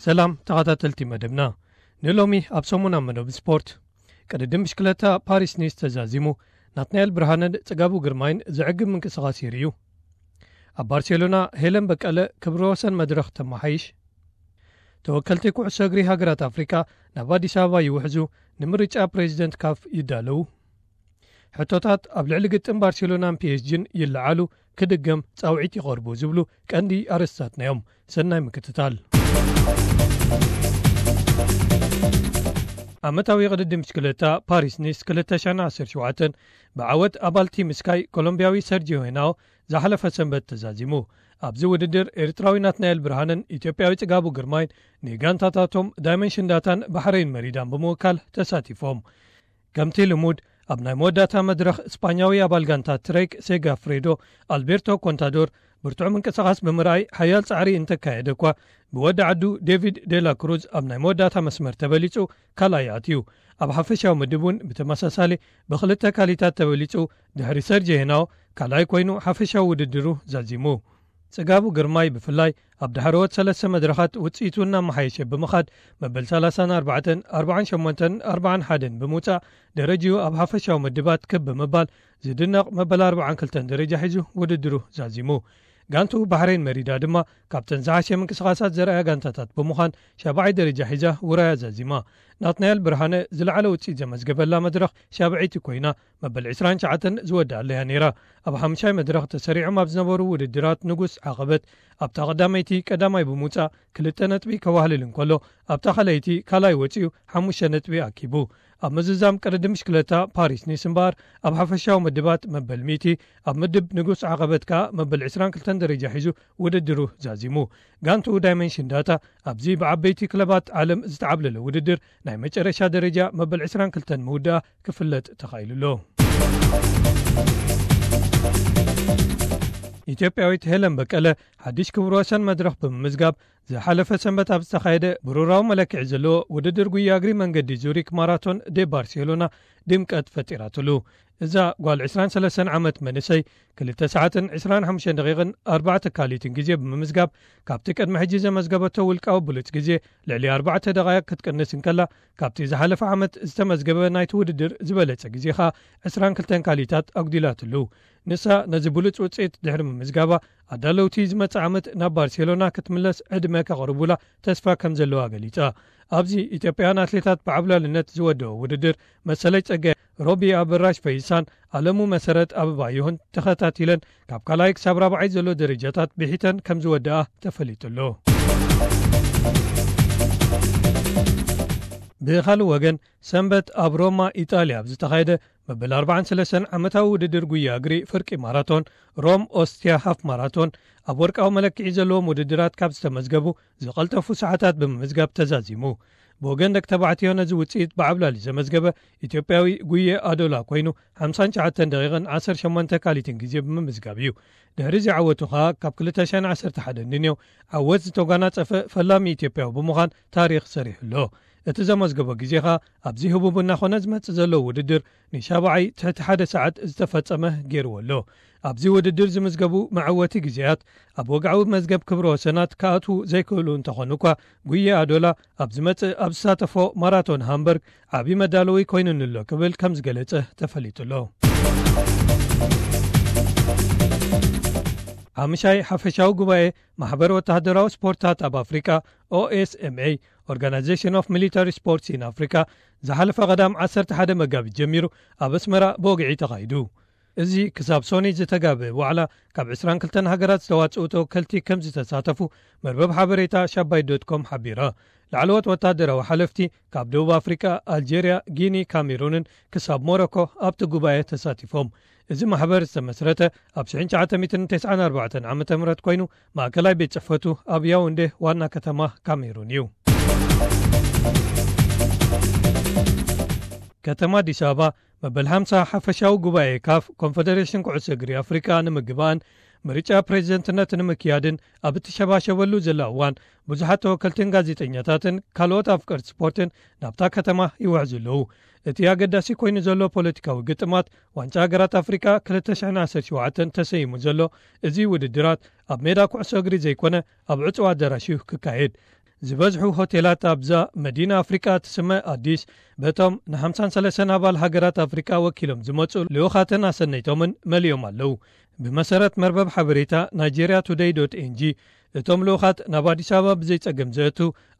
ሰላም ተኸታተልቲ መደብና። ንሎሚ ኣብ ሰሙናዊ መደብ ስፖርት፣ ቅድድም ብሽክለታ ፓሪስ ኒስ ተዛዚሙ። ናትናኤል ብርሃነን ጽጋቡ ግርማይን ዘዕግብ ምንቅስቓስ ይርእዩ። ኣብ ባርሴሎና ሄለን በቀለ ክብረ ወሰን መድረኽ ተመሓይሽ። ተወከልቲ ኩዕሶ እግሪ ሃገራት ኣፍሪቃ ናብ ኣዲስ ኣበባ ይውሕዙ፣ ንምርጫ ፕሬዚደንት ካፍ ይዳለዉ። ሕቶታት ኣብ ልዕሊ ግጥም ባርሴሎናን ፒ ኤስ ጂን ይለዓሉ፣ ክድገም ጻውዒት ይቐርቡ ዝብሉ ቀንዲ ኣርእስታትና እዮም። ሰናይ ምክትታል። ዓመታዊ ቅድድም ብሽክለታ ፓሪስ ኒስ ክልተ ሽሕን ዓሰርተ ሸውዓተን ብዓወት ኣባል ቲም ስካይ ኮሎምቢያዊ ሰርጂዮ ሄናዎ ዝሓለፈ ሰንበት ተዛዚሙ። ኣብዚ ውድድር ኤርትራዊ ናትናኤል ብርሃንን ኢትዮጵያዊ ጽጋቡ ግርማይን ንጋንታታቶም ዳይመንሽን ዳታን ባሕረይን መሪዳን ብምውካል ተሳቲፎም። ከምቲ ልሙድ ኣብ ናይ መወዳእታ መድረኽ ስጳኛዊ ኣባል ጋንታ ትሬክ ሴጋፍሬዶ ኣልቤርቶ ኮንታዶር ብርቱዕ ምንቅስቓስ ብምርኣይ ሓያል ጻዕሪ እንተካየደ እኳ ብወዲ ዓዱ ዴቪድ ዴላ ክሩዝ ኣብ ናይ መወዳእታ መስመር ተበሊጹ ካልኣይ ኣትዩ። ኣብ ሓፈሻዊ ምድብ እውን ብተመሳሳሊ ብኽልተ ካሊታት ተበሊጹ ድሕሪ ሰርጂ ሄናዎ ካልኣይ ኮይኑ ሓፈሻዊ ውድድሩ ዛዚሙ። ጽጋቡ ግርማይ ብፍላይ ኣብ ዳሕረዎት ሰለስተ መድረኻት ውጽኢቱ እናመሓየሸ ብምኻድ መበል ሰላሳን ኣርባዕተን፣ ኣርባዓን ሸሞንተን፣ ኣርባዓን ሓደን ብምውጻእ ደረጅኡ ኣብ ሓፈሻዊ ምድባት ክብ ብምባል ዝድነቕ መበል ኣርባዓን ክልተን ደረጃ ሒዙ ውድድሩ ዛዚሙ። ጋንቱ ባሕሬን መሪዳ ድማ ካብተን ዝሓሸ ምንቅስቓሳት ዘርኣያ ጋንታታት ብምዃን ሻብዓይ ደረጃ ሒዛ ውራያ ዛዚማ። ናትናኤል ብርሃነ ዝለዓለ ውጽኢት ዘመዝገበላ መድረኽ ሻብዐይቲ ኮይና መበል ዕስራን ትሽዓተን ዝወድኣለያ ነይራ። ኣብ ሓምሻይ መድረኽ ተሰሪዖም ኣብ ዝነበሩ ውድድራት ንጉስ ዓቐበት ኣብታ ቀዳመይቲ ቀዳማይ ብምውጻእ ክልተ ነጥቢ ከዋህልል እንከሎ ኣብታ ካልኣይቲ ካልኣይ ወጺኡ ሓሙሽተ ነጥቢ ኣኪቡ። ኣብ ምዝዛም ቅድድም ብሽክለታ ፓሪስ ኒስ እምበኣር ኣብ ሓፈሻዊ ምድባት መበል ሚእቲ ኣብ ምድብ ንጉስ ዓቐበት ከኣ መበል ዕስራን ክልተን ደረጃ ሒዙ ውድድሩ ዛዚሙ። ጋንቱ ዳይመንሽን ዳታ ኣብዚ ብዓበይቲ ክለባት ዓለም ዝተዓብለለ ውድድር ናይ መጨረሻ ደረጃ መበል ዕስራን ክልተን ምውዳኣ ክፍለጥ ተኻኢሉ ኣሎ። ኢትዮጵያዊት ሄለን በቀለ ሓድሽ ክብረ ወሰን መድረኽ ብምምዝጋብ ዝሓለፈ ሰንበት ኣብ ዝተኻየደ ብሩራዊ መለክዒ ዘለዎ ውድድር ጉያ እግሪ መንገዲ ዙሪክ ማራቶን ዴ ባርሴሎና ድምቀት ፈጢራትሉ። እዛ ጓል ዕስራን ሰለስተን ዓመት መንእሰይ ክልተ ሰዓትን ዕስራን ሓሙሽተን ደቂቕን ኣርባዕተ ካሊትን ግዜ ብምምዝጋብ ካብቲ ቅድሚ ሕጂ ዘመዝገበቶ ውልቃዊ ብሉጽ ግዜ ልዕሊ ኣርባዕተ ደቓይቕ ክትቅንስ እንከላ ካብቲ ዝሓለፈ ዓመት ዝተመዝገበ ናይቲ ውድድር ዝበለጸ ግዜ ኸኣ ዕስራን ክልተን ካሊታት ኣጉዲላትሉ። ንሳ ነዚ ብሉጽ ውጽኢት ድሕሪ ምምዝጋባ ኣዳለውቲ ዝመጽእ ዓመት ናብ ባርሴሎና ክትምለስ ዕድመ ከቕርቡላ ተስፋ ከም ዘለዋ ገሊጻ። ኣብዚ ኢትዮጵያውያን ኣትሌታት ብዓብላልነት ዝወደኦ ውድድር መሰለይ ጸጋይ፣ ሮቢ ኣበራሽ ፈይሳን ኣለሙ መሰረት ኣበባየሁን ተኸታቲለን ካብ ካልኣይ ክሳብ ራብዓይ ዘሎ ደረጃታት ብሒተን ከም ዝወደኣ ተፈሊጡ ኣሎ። ብኻልእ ወገን ሰንበት ኣብ ሮማ ኢጣልያ ኣብ ዝተኻየደ መበል ኣርባዓን ሰለስተን ዓመታዊ ውድድር ጉያ እግሪ ፍርቂ ማራቶን ሮም ኦስቲያ ሃፍ ማራቶን ኣብ ወርቃዊ መለክዒ ዘለዎም ውድድራት ካብ ዝተመዝገቡ ዝቐልጠፉ ሰዓታት ብምምዝጋብ ተዛዚሙ። ብወገን ደቂ ተባዕትዮ ነዚ ውጽኢት ብዓብላሊ ዘመዝገበ ኢትዮጵያዊ ጉየ ኣዶላ ኮይኑ ሓምሳን ትሽዓተን ደቂቕን ዓሰርተ ሸሞንተ ካሊትን ግዜ ብምምዝጋብ እዩ። ድሕሪ እዚ ዓወቱ ኸኣ ካብ ክልተ ሽሕን ዓሰርተ ሓደን ንንዮ ዓወት ዝተጓናጸፈ ፈላሚ ኢትዮጵያዊ ብምዃን ታሪኽ ሰሪሑ ኣሎ። እቲ ዘመዝገቦ ግዜ ኸኣ ኣብዚ ህቡብ እናኾነ ዝመጽእ ዘሎ ውድድር ንሻብዓይ ትሕቲ ሓደ ሰዓት ዝተፈጸመ ገይርዎ ኣሎ። ኣብዚ ውድድር ዝምዝገቡ መዐወቲ ግዜያት ኣብ ወግዓዊ መዝገብ ክብረ ወሰናት ክኣትዉ ዘይክእሉ እንተኾኑ እኳ ጉየ ኣዶላ ኣብ ዝመጽእ ኣብ ዝሳተፎ ማራቶን ሃምበርግ ዓቢ መዳለዊ ኮይኑኒ ኣሎ ክብል ከም ዝገለጸ ተፈሊጡ ኣሎ። ሓምሻይ ሓፈሻዊ ጉባኤ ማሕበር ወተሃደራዊ ስፖርታት ኣብ ኣፍሪቃ ኦኤስኤምኤ፣ Organization of Military Sports in Africa፣ ዝሓለፈ ቀዳም ዓሰርተ ሓደ መጋቢት ጀሚሩ ኣብ ኣስመራ ብወግዒ ተኻይዱ። እዚ ክሳብ ሶኒ ዝተጋበ ዋዕላ ካብ ዕስራን ክልተን ሃገራት ዝተዋጽኡ ተወከልቲ ከም ዝተሳተፉ መርበብ ሓበሬታ ሻባይ ዶት ኮም ሓቢራ። ላዕለዎት ወታደራዊ ሓለፍቲ ካብ ደቡብ ኣፍሪቃ፣ ኣልጀርያ፣ ጊኒ፣ ካሜሩንን ክሳብ ሞሮኮ ኣብቲ ጉባኤ ተሳቲፎም። እዚ ማሕበር ዝተመስረተ ኣብ ሽሕን ትሽዓተ ሚእትን ተስዓን ኣርባዕተን ዓመተ ምህረት ኮይኑ ማእከላይ ቤት ጽሕፈቱ ኣብ ያውንዴ ዋና ከተማ ካሜሩን እዩ። ከተማ ኣዲስ ኣበባ መበል ሓምሳ ሓፈሻዊ ጉባኤ ካፍ ኮንፈደሬሽን ኩዕሶ እግሪ ኣፍሪቃ ንምግባእን ምርጫ ፕሬዚደንትነት ንምክያድን ኣብ እትሸባሸበሉ ዘላ እዋን ብዙሓት ተወከልትን ጋዜጠኛታትን ካልኦት ኣፍቀርቲ ስፖርትን ናብታ ከተማ ይውሕዙ ኣለዉ። እቲ ኣገዳሲ ኮይኑ ዘሎ ፖለቲካዊ ግጥማት ዋንጫ ሃገራት ኣፍሪቃ ክልተ ሽሕን ዓሰርተ ሸውዓተን ተሰይሙ ዘሎ እዚ ውድድራት ኣብ ሜዳ ኩዕሶ እግሪ ዘይኮነ ኣብ ዕጹው ኣዳራሽ እዩ ክካየድ። ዝበዝሑ ሆቴላት ኣብዛ መዲና ኣፍሪቃ ትስመ ኣዲስ በቶም ን53 ኣባል ሃገራት ኣፍሪቃ ወኪሎም ዝመጹ ልኡኻትን ኣሰነይቶምን መሊኦም ኣለዉ። ብመሰረት መርበብ ሓበሬታ ናይጄርያ ቱደይ ዶት ኤንጂ፣ እቶም ልኡኻት ናብ ኣዲስ ኣበባ ብዘይጸገም ዘእቱ፣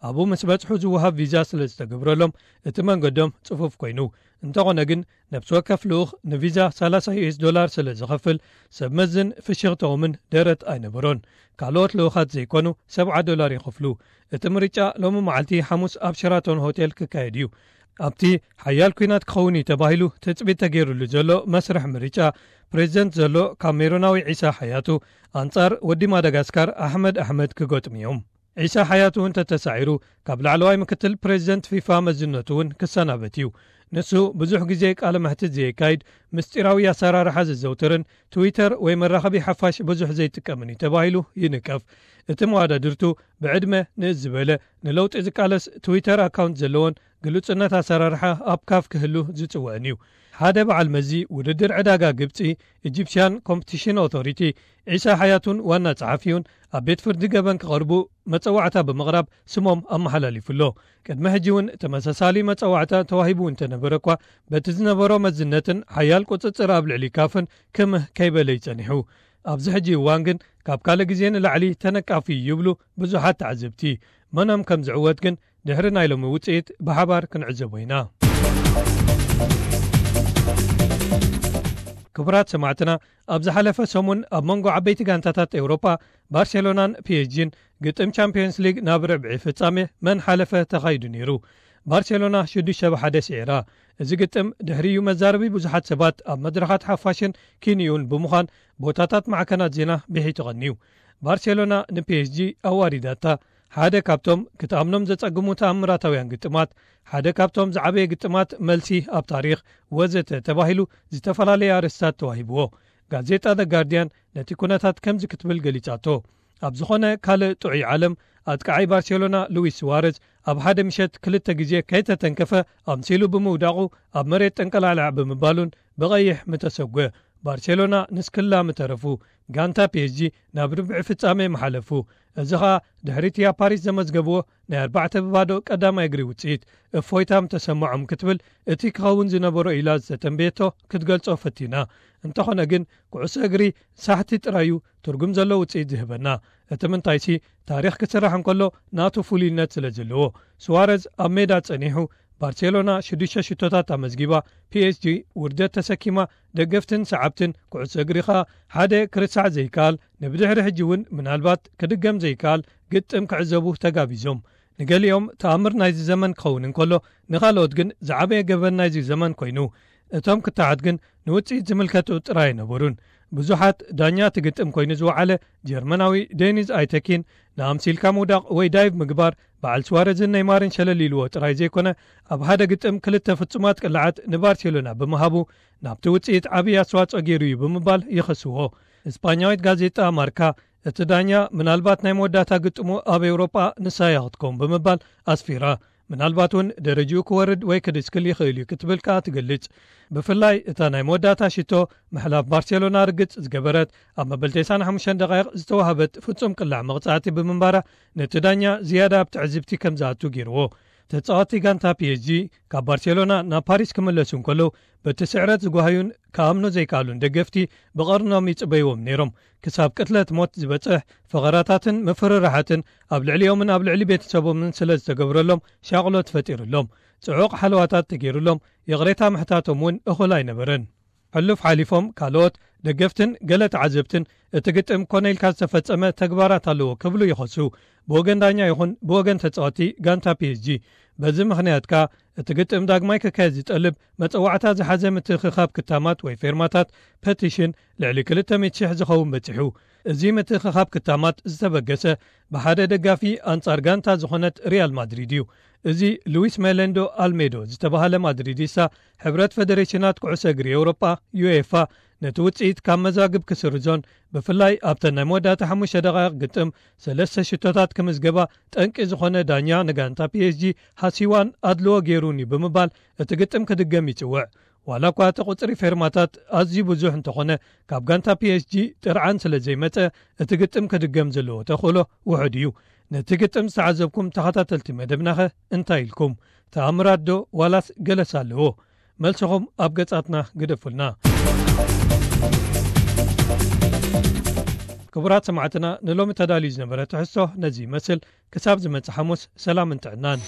ኣብኡ ምስ በጽሑ ዝወሃብ ቪዛ ስለ ዝተገብረሎም፣ እቲ መንገዶም ጽፉፍ ኮይኑ። እንተኾነ ግን፣ ነብሲ ወከፍ ልኡኽ ንቪዛ ሰላሳ ዩ ኤስ ዶላር ስለ ዝኸፍል፣ ሰብ መዝን ፍሽኽተኦምን ደረት ኣይነበሮን። ካልኦት ልኡኻት ዘይኮኑ ሰብዓ ዶላር ይኸፍሉ። እቲ ምርጫ ሎሚ መዓልቲ ሓሙስ ኣብ ሸራቶን ሆቴል ክካየድ እዩ። ኣብቲ ሓያል ኲናት ክኸውን እዩ ተባሂሉ ትጽቢት ተገይሩሉ ዘሎ መስርሕ ምርጫ፣ ፕሬዚደንት ዘሎ ካሜሩናዊ ዒሳ ሓያቱ ኣንጻር ወዲ ማዳጋስካር ኣሕመድ ኣሕመድ ክገጥሙ እዮም። ዒሳ ሓያቱ እንተተሳዒሩ፣ ካብ ላዕለዋይ ምክትል ፕሬዚደንት ፊፋ መዝነቱ እውን ክሰናበት እዩ። ንሱ ብዙሕ ግዜ ቃለ መሕትት ዘየካይድ፣ ምስጢራዊ ኣሰራርሓ ዘዘውትርን ትዊተር ወይ መራኸቢ ሓፋሽ ብዙሕ ዘይጥቀምን እዩ ተባሂሉ ይንቀፍ። እቲ መዋዳድርቱ ብዕድመ ንእስ ዝበለ ንለውጢ ዝቃለስ ትዊተር ኣካውንት ዘለዎን ግሉጽነት ኣሰራርሓ ኣብ ካፍ ክህሉ ዝጽውዕን እዩ። ሓደ በዓል መዚ ውድድር ዕዳጋ ግብጺ፣ ኢጂፕሽያን ኮምፒቲሽን ኦቶሪቲ፣ ዒሳ ሓያቱን ዋና ጸሓፊውን ኣብ ቤት ፍርዲ ገበን ክቐርቡ መጸዋዕታ ብምቕራብ ስሞም ኣመሓላሊፉ ኣሎ። ቅድሚ ሕጂ እውን ተመሳሳሊ መጸዋዕታ ተዋሂቡ እንተነበረ እኳ፣ በቲ ዝነበሮ መዝነትን ሓያል ቁጽጽር ኣብ ልዕሊ ካፍን ክምህ ከይበለ እዩ ጸኒሑ። ኣብዚ ሕጂ እዋን ግን ካብ ካልእ ግዜ ንላዕሊ ተነቃፊ ይብሉ ብዙሓት ተዓዘብቲ። መኖም ከም ዝዕወት ግን ድሕሪ ናይ ሎሚ ውጽኢት ብሓባር ክንዕዘቦ ኢና። ክቡራት ሰማዕትና፣ ኣብ ዝሓለፈ ሰሙን ኣብ መንጎ ዓበይቲ ጋንታታት ኤውሮጳ ባርሴሎናን ፒ ኤስ ጂን ግጥም ቻምፒዮንስ ሊግ ናብ ርብዒ ፍጻሜ መን ሓለፈ ተኻይዱ ነይሩ። ባርሴሎና ሽዱሽተ ብ ሓደ ስዒራ። እዚ ግጥም ድሕሪኡ መዛረቢ ብዙሓት ሰባት ኣብ መድረኻት ሓፋሽን ኪንዩን ብምዃን ቦታታት ማዕከናት ዜና ብሒቱ ቀንዩ። ባርሴሎና ን ፒ ኤስ ጂ ኣዋሪዳታ። ሓደ ካብቶም ክትኣምኖም ዘጸግሙ ተኣምራታውያን ግጥማት፣ ሓደ ካብቶም ዝዓበየ ግጥማት መልሲ ኣብ ታሪኽ፣ ወዘተ ተባሂሉ ዝተፈላለየ ኣርእስታት ተዋሂብዎ። ጋዜጣ ዘ ጋርዲያን ነቲ ኩነታት ከምዚ ክትብል ገሊጻቶ። ኣብ ዝኾነ ካልእ ጥዑይ ዓለም፣ ኣጥቃዓይ ባርሴሎና ሉዊስ ሱዋረዝ ኣብ ሓደ ምሸት ክልተ ግዜ ከይተተንከፈ ኣምሲሉ ብምውዳቑ ኣብ መሬት ጠንቀላዕላዕ ብምባሉን ብቐይሕ ምተሰጎ። ባርሴሎና ንስክላ ምተረፉ። ጋንታ ፒ ኤስ ጂ ናብ ርብዒ ፍጻሜ ምሓለፉ። እዚ ኸኣ ድሕሪ እቲ ኣብ ፓሪስ ዘመዝገብዎ ናይ ኣርባዕተ ብባዶ ቀዳማይ እግሪ ውጽኢት እፎይታ ምተሰምዖም ክትብል እቲ ክኸውን ዝነበሮ ኢላ ዝተተንበየቶ ክትገልጾ ፈቲና። እንተኾነ ግን ኩዕሶ እግሪ ሳሕቲ ጥራዩ ትርጉም ዘለዎ ውጽኢት ዝህበና። እቲ ምንታይሲ ታሪኽ ክስራሕ እንከሎ ናቱ ፍሉይነት ስለ ዘለዎ። ሱዋረዝ ኣብ ሜዳ ጸኒሑ ባርሴሎና ሽዱሽተ ሽቶታት ኣመዝጊባ፣ ፒ ኤስ ጂ ውርደት ተሰኪማ፣ ደገፍትን ሰዓብትን ኩዕሶ እግሪ ኸኣ ሓደ ክርሳዕ ዘይከኣል፣ ንብድሕሪ ሕጂ እውን ምናልባት ክድገም ዘይከኣል ግጥም ክዕዘቡ ተጋቢዞም። ንገሊኦም ተኣምር ናይዚ ዘመን ክኸውን እንከሎ፣ ንኻልኦት ግን ዝዓበየ ገበን ናይዚ ዘመን ኮይኑ። እቶም ክታዓት ግን ንውጽኢት ዝምልከቱ ጥራይ ኣይነበሩን። ብዙሓት ዳኛ እቲ ግጥም ኮይኑ ዝወዓለ ጀርመናዊ ዴኒዝ ኣይተኪን፣ ንኣምሲልካ ምውዳቕ ወይ ዳይቭ ምግባር በዓል ሱዋረዝን ኔይማርን ሸለል ኢልዎ ጥራይ ዘይኮነ፣ ኣብ ሓደ ግጥም ክልተ ፍጹማት ቅልዓት ንባርሴሎና ብምሃቡ፣ ናብቲ ውጽኢት ዓብዪ ኣስተዋጽኦ ገይሩ እዩ ብምባል ይኸስዎ። እስጳኛዊት ጋዜጣ ማርካ፣ እቲ ዳኛ ምናልባት ናይ መወዳእታ ግጥሙ ኣብ ኤውሮጳ ንሳ እያ ክትከውን ብምባል ኣስፊራ። ምናልባት እውን ደረጅኡ ክወርድ ወይ ክድስክል ይኽእል እዩ ክትብል ከኣ ትገልጽ። ብፍላይ እታ ናይ መወዳእታ ሽቶ ምሕላፍ ባርሴሎና ርግጽ ዝገበረት፣ ኣብ መበል ተስዓን ሓሙሽተን ደቃይቕ ዝተዋህበት ፍጹም ቅላዕ መቕጻዕቲ ብምንባራ፣ ነቲ ዳኛ ዝያዳ ኣብ ትዕዝብቲ ከም ዝኣቱ ገይርዎ። ተጻዋቲ ጋንታ ፒ ኤስ ጂ ካብ ባርሴሎና ናብ ፓሪስ ክምለሱ እንከለዉ፣ በቲ ስዕረት ዝጓሃዩን ክኣምኑ ዘይከኣሉን ደገፍቲ ብቐርኖም ይጽበይዎም ነይሮም። ክሳብ ቅትለት ሞት ዝበጽሕ ፈኸራታትን ምፍርራሓትን ኣብ ልዕሊኦምን ኣብ ልዕሊ ቤተሰቦምን ስለ ዝተገብረሎም ሻቕሎት ፈጢሩሎም። ጽዑቕ ሓለዋታት ተገይሩሎም፣ ይቕሬታ ምሕታቶም እውን እኹል ኣይነበረን። ሕሉፍ ሓሊፎም ካልኦት ደገፍትን ገለ ተዓዘብትን እቲ ግጥም ኮነ ኢልካ ዝተፈጸመ ተግባራት ኣለዎ ክብሉ ይኸሱ። ብወገን ዳኛ ይኹን ብወገን ተጻወቲ ጋንታ ፒ ኤስ ጂ። በዚ ምኽንያት ከኣ እቲ ግጥም ዳግማይ ክካየድ ዝጠልብ መጸዋዕታ ዝሓዘ ምትእኽኻብ ክታማት ወይ ፌርማታት ፐቲሽን ልዕሊ ክልተ ሚእቲ ሽሕ ዝኸውን በጺሑ። እዚ ምትእኽኻብ ክታማት ዝተበገሰ ብሓደ ደጋፊ ኣንጻር ጋንታ ዝኾነት ሪያል ማድሪድ እዩ። እዚ ሉዊስ ሜሌንዶ ኣልሜዶ ዝተባህለ ማድሪዲስታ፣ ሕብረት ፈደሬሽናት ኩዕሶ እግሪ ኤውሮጳ፣ ዩኤፋ፣ ነቲ ውጽኢት ካብ መዛግብ ክስርዞን ብፍላይ ኣብተን ናይ መወዳእታ ሓሙሽተ ደቓይቕ ግጥም ሰለስተ ሽቶታት ክምዝገባ ጠንቂ ዝኾነ ዳኛ ንጋንታ ፒ ኤስ ጂ ሃሲዋን ኣድልዎ ገይሩን እዩ ብምባል እቲ ግጥም ክድገም ይጽውዕ። ዋላ እኳ እቲ ቁጽሪ ፌርማታት ኣዝዩ ብዙሕ እንተኾነ፣ ካብ ጋንታ ፒ ኤስ ጂ ጥርዓን ስለ ዘይመጸ እቲ ግጥም ክድገም ዘለዎ ተኽእሎ ውሑድ እዩ። ነቲ ግጥም ዝተዓዘብኩም ተኸታተልቲ መደብናኸ እንታይ ኢልኩም? ተኣምራት ዶ ዋላስ ገለስ ኣለዎ? መልስኹም ኣብ ገጻትና ግደፉልና። ክቡራት ሰማዕትና፣ ንሎሚ ተዳልዩ ዝነበረ ትሕዝቶ ነዚ ይመስል። ክሳብ ዝመጽእ ሓሙስ ሰላምን ጥዕናን።